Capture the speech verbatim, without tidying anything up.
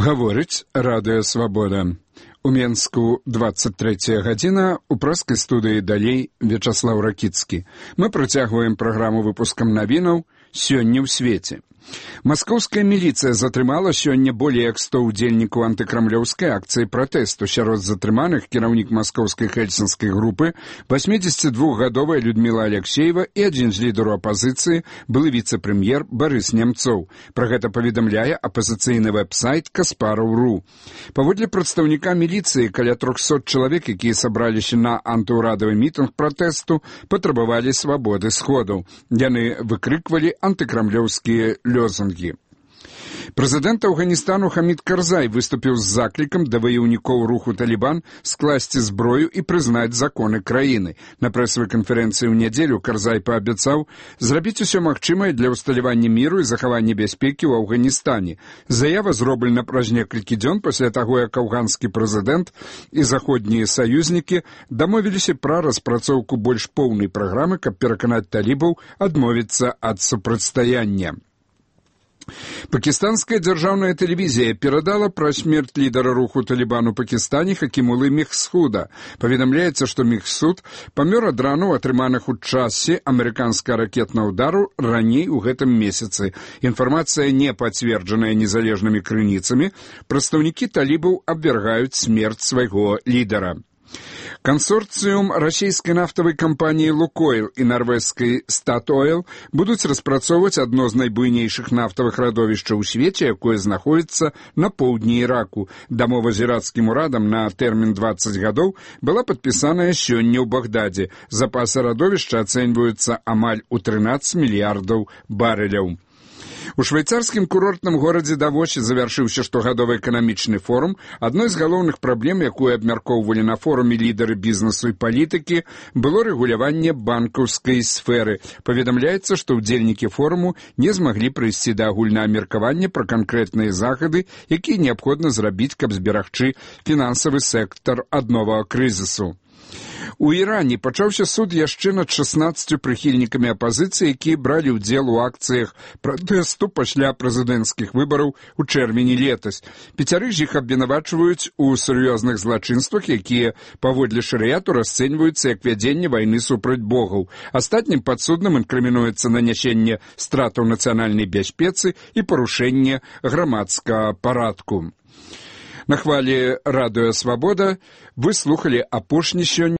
Гаворыць радыё «Свабода». У Менску двадцать третья гадзіна, у прэскай студыі далей Вячаслаў Ракіцкі. Мы працягваем праграму выпускам навінаў «Сёння ў свеце». Маскоўская міліцыя затрымала сёння болей як сто ўдзельнікаў антыкрамлёўскай акцыі пратэсту. Сярод затрыманых кіраўнік маскоўскай хельсінскай групы, восьмідзесятидвухгадовая Людмила Алексеева і адзін з лідараў апазіцыі, былы віцэ-прэм'ер Барыс Нямцоў. Пра гэта паведамляе апазіцыйны вэб-сайт Каспараў точка ру. Паводле прадстаўніка міліцыі, каля трохсот чалавек, якія сабраліся на антыўрадавы мітынг пратэсту, патрабавалі свабоды сходаў. Яны выкрыквалі антыкрамлёўскія лёзунгі. Прэзідэнт Афганістану Хамід Карзай выступіў з заклікам да ваяўнікоў руху «Талібан» скласці зброю і прызнаць законы краіны. На прэсавай канферэнцыі ў нядзелю Карзай паабяцаў зрабіць усё магчымае для ўсталявання міру і захавання бяспекі ў Афганістане. Заява зроблена праз некалькі дзён пасля таго, як афганскі прэзідэнт і заходнія саюзнікі дамовіліся пра распрацоўку больш поўнай праграмы, каб пераканаць талібаў адмовіцца ад супрацьстаяння. Пакістанская дзяржаўная тэлевізія перадала пра смерць лідара руху «Талібан» у Пакістане Хакімулы Мехсуда. Паведамляецца, што Мехсуд памёр ад ранаў, атрыманых у часе амерыканскага ракетнага ўдару раней у гэтым месяцы. Інфармацыя не пацверджаная незалежнымі крыніцамі. Прадстаўнікі талібаў абвяргаюць смерць свайго лідара. Кансорцыум расійскай нафтавай кампаніі «Лукойл» і нарвежскай «Статойл» будуць распрацоўваць адно з найбуйнейшых нафтавых радовішчаў у свеце, якое знаходзіцца на поўдні Іраку. Дамова з іракскім урадам на тэрмін дваццаць гадоў была падпісаная сёння ў Багдадзе. Запасы радовішча ацэньваюцца амаль у трынаццаць мільярдаў барэляў. У швейцарскім курортным горадзе Давосе завяршыўся штогадовы эканамічны форум. Адной з галоўных праблем, якую абмяркоўвалі на форуме лідары бізнесу і палітыкі, было рэгуляванне банкаўскай сферы. Паведамляецца, што ўдзельнікі форуму не змаглі прыйсці да агульнага меркавання пра канкрэтныя захады, якія неабходна зрабіць, каб зберагчы фінансавы сектар ад новага крызісу. У Іране пачаўся суд яшчэ над шаснаццаццю прыхільнікамі апазіцыі, якія бралі ўдзел у акцыях пратэсту пасля прэзідэнцкіх выбараў у чэрвені летась. Пяцярых з іх абвінавачваюць у сур'ёзных злачынствах, якія паводле шарыяту расцэньваюцца як вядзенне вайны супраць богаў. Астатнім падсудным інкрымінуецца нанясенне стратаў нацыянальнай бяспецы і парушэнне грамадскага парадку. На хвалі радыё «Свабода» вы слухалі апошні сёння